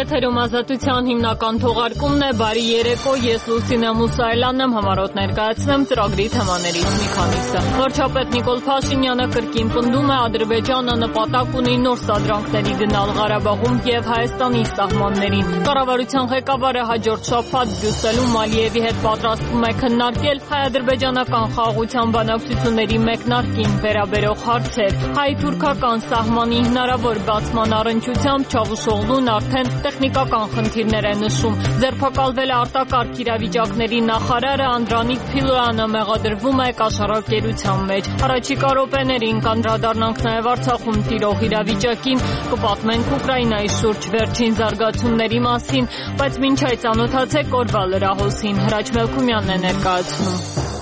Եթերում ազատության հիմնական թողարկումն է, բարի երեկո, ես Լուսինե Մուսայելյանն եմ, համառոտ ներկայացնեմ ծրագրի թեմաներից մի քանիսը։ Վարչապետ Նիկոլ Փաշինյանը կրկին պնդում է Ադրբեջանը նպատակ ունի նոր սադրանքների գնալ Ղարաբաղում եւ Հայաստանի սահմաններին։ Կառավարության ղեկավարը հաջորդ շաբաթ Բրյուսելում Ալիևի հետ պատրաստվում է քննարկել հայ-ադրբեջանական խաղաղության բանակցությունների մեկնարկին վերաբերող հարցեր։ Հայ-թուրքական սահմանի հնարավոր բացման առնչությամբ Չավուշօղլուն արդեն տեխնիկական խնդիրներ է նշում։ Ձերբակալվել է արտակարգ իրավիճակների նախարարը Անդրանիկ Փիլոյանը մեղադրվում է կաշառակերության մեջ։ Առաջիկա րոպեներին կանդրադառնանք նաև Արցախում տիրող իրավիճակին, կպատմենք Ուկրաինայի շուրջ վերջին զարգացումների մասին, բայց մինչ այդ ծանոթացեք օրվա լրահոսին։ Հրաչ Մելքումյանն է ներկայացնում։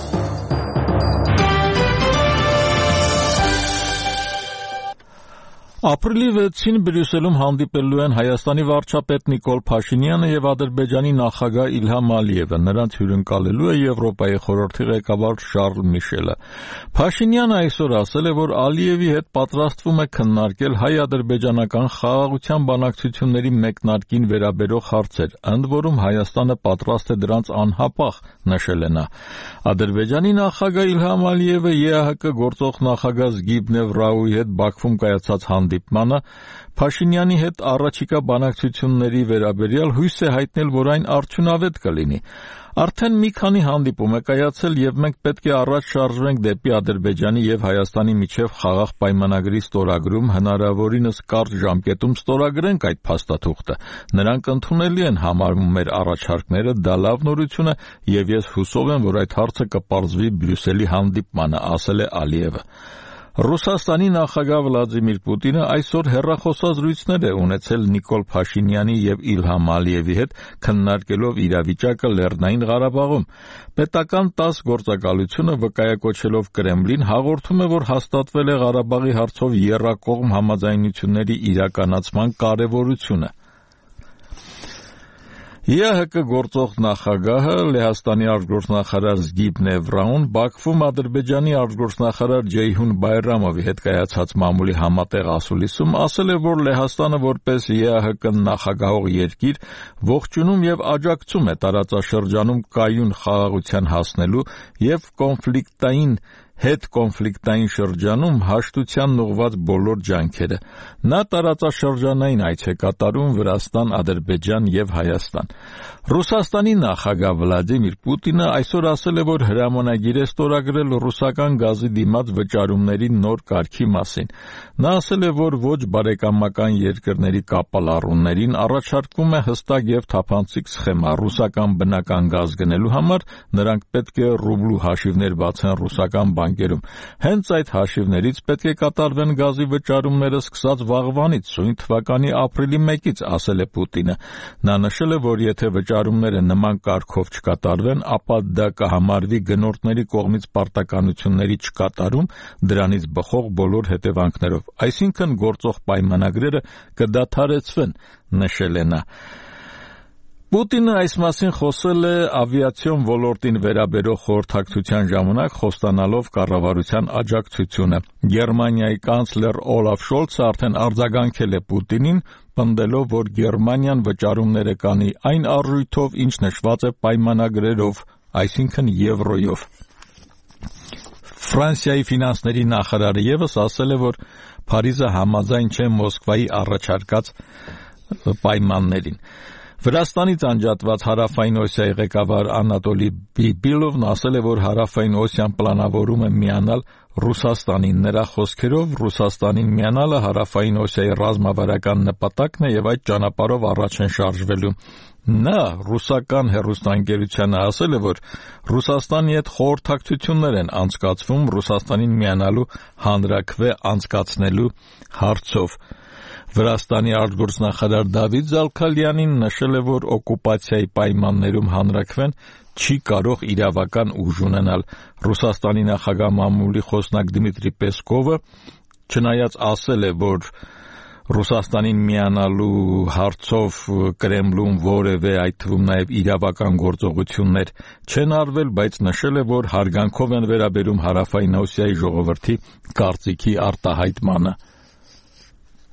Ապրիլի 6-ին Բրյուսելում հանդիպելու են Հայաստանի վարչապետ Նիկոլ Փաշինյանը եւ Ադրբեջանի նախագահ Իլհամ Ալիևը։ Նրանց հյուրընկալելու է Եվրոպայի խորհրդի ղեկավար Շարլ Միշելը։ Փաշինյանը այսօր ասել է, որ Ալիևի հետ պատրաստվում է քննարկել հայ-ադրբեջանական խաղաղության բանակցությունների մեկնարկին վերաբերող հարցեր, ընդ որում Հայաստանը պատրաստ է դրանց անհապաղ, նշել է նա։ Ադրբեջանի նախագահ Իլհամ Ալիևը ԵԱՀԿ գործող նախագահ Զգիբնև Ռաուի հետ Բաքվում կայացած հանդիպմանը Փաշինյանի հետ առաջիկա բանակցությունների վերաբերյալ հույս է հայտնել, որ այն արդյունավետ կլինի։ Արդեն մի քանի հանդիպում է կայացել եւ մենք պետք է առաջ շարժվենք դեպի Ադրբեջանի եւ Հայաստանի միջև խաղաղ պայմանագրի ստորագրում, հնարավորինս կարճ ժամկետում ստորագրենք այդ փաստաթուղթը։ Նրանք ընդունելի են համարում մեր առաջարկները, դա լավ նորություն է եւ ես հուսով եմ, որ այդ հարցը կպարզվի Բրյուսելի հանդիպմանը, ասել է Ալիևը։ Ռուսաստանի նախագահ Վլադիմիր Պուտինը այսօր հեռախոսազրույցներ է ունեցել Նիկոլ Փաշինյանի եւ Իլհամ Ալիևի հետ, քննարկելով իրավիճակը Լեռնային Ղարաբաղում։ Պետական ՏԱՍՍ գործակալությունը վկայակոչելով Կրեմլին հաղորդում է, որ հաստատվել է Ղարաբաղի հարցով եռակողմ համաձայնությունների իրականացման կարեւորությունը։ ԵԱՀԿ գործող նախագահը Լեհաստանի արտգործնախարար Զգիբնև Ռաուն Բաքվում Ադրբեջանի արտգործնախարար Ջեյհուն Բայրամովի հետ կայացած մամուլի համատեղ ասուլիսում ասել է, որ Լեհաստանը որպես ԵԱՀԿ նախագահող երկիր ողջունում եւ աջակցում է տարածաշրջանում կայուն խաղաղության հասնելու եւ հետկոնֆլիկտային շրջանում հաշտությանն ուղղված բոլոր ջանքերը։ Նա տարածաշրջանային այց է կատարում Վրաստան, Ադրբեջան եւ Հայաստան։ Ռուսաստանի նախագահ Վլադիմիր Պուտինը այսօր ասել է, որ հրամանագիր է ստորագրել ռուսական գազի դիմաց վճարումների նոր կարգի մասին։ Նա ասել է, որ ոչ բարեկամական երկրների կապալառուներին առաջարկվում է հստակ եւ թափանցիկ սխեմա ռուսական բնական գազ գնելու համար, նրանք պետք է ռուբլու հաշիվներ բացեն ռուսական բանկերում։ Հենց այդ հաշիվներից պետք է կատարվեն գազի վճարումները սկսած վաղվանից, սույն թվականի ապրիլի 1-ից, ասել է Պուտինը։ Նա նշել է, որ եթե վճարումները նման կարգով չկատարվեն, ապա դա կհամարվի գնորդների կողմից պարտականությունների չկատարում, դրանից բխող բոլոր հետևանքներով, այսինքն գործող պայմանագրերը կդադարեցվեն, նշել է նա։ Պուտինը այս մասին խոսել է ավիացիոն ոլորտին վերաբերող խորհրդակցության ժամանակ, խոստանալով կառավարության աջակցությունը։ Գերմանիայի կանցլեր Օլաֆ Շոլցը արդեն արձագանքել է Պուտինին, պնդելով, որ Գերմանիան վճարումները կանի այն արժույթով, ինչ նշված է պայմանագրերով, այսինքն եվրոյով։ Ֆրանսիայի ֆինանսների նախարարը ևս ասել է, որ Փարիզը համաձայն չէ Մոսկվայի առաջարկած պայմաններին։ Վրաստանից անջատված Հարավային Օսիայի ղեկավար Անատոլի Բիբիլովն ասել է, որ Հարավային Օսիան պլանավորում է միանալ Ռուսաստանին։ Նրա խոսքերով Ռուսաստանին միանալը Հարավային Օսիայի ռազմավարական նպատակն է եւ այդ ճանապարհով առաջ են շարժվելու։ Նա ռուսական հեռուստաընկերությանը ասել է, որ Ռուսաստանի հետ խորհրդակցություններ են անցկացվում Ռուսաստանին միանալու հանրաքվե անցկացնելու հարցով։ Վրաստանի արտգործնախարար Դավիթ Զալքալյանին նշել է, որ օկուպացիայի պայմաններում հանրաքվեն չի կարող իրավական ուժ ունենալ։ Ռուսաստանի նախագահ մամուլի խոսնակ Դմիտրի Պեսկովը չնայած ասել է, որ Ռուսաստանին միանալու հարցով Կրեմլում որևէ, այդ թվում նաև իրավական գործողություններ չեն արվել, բայց նշել է, որ հարգանքով են վերաբերում Հարավային Օսիայի ժողովրդի կարծիքի արտահայտմանը։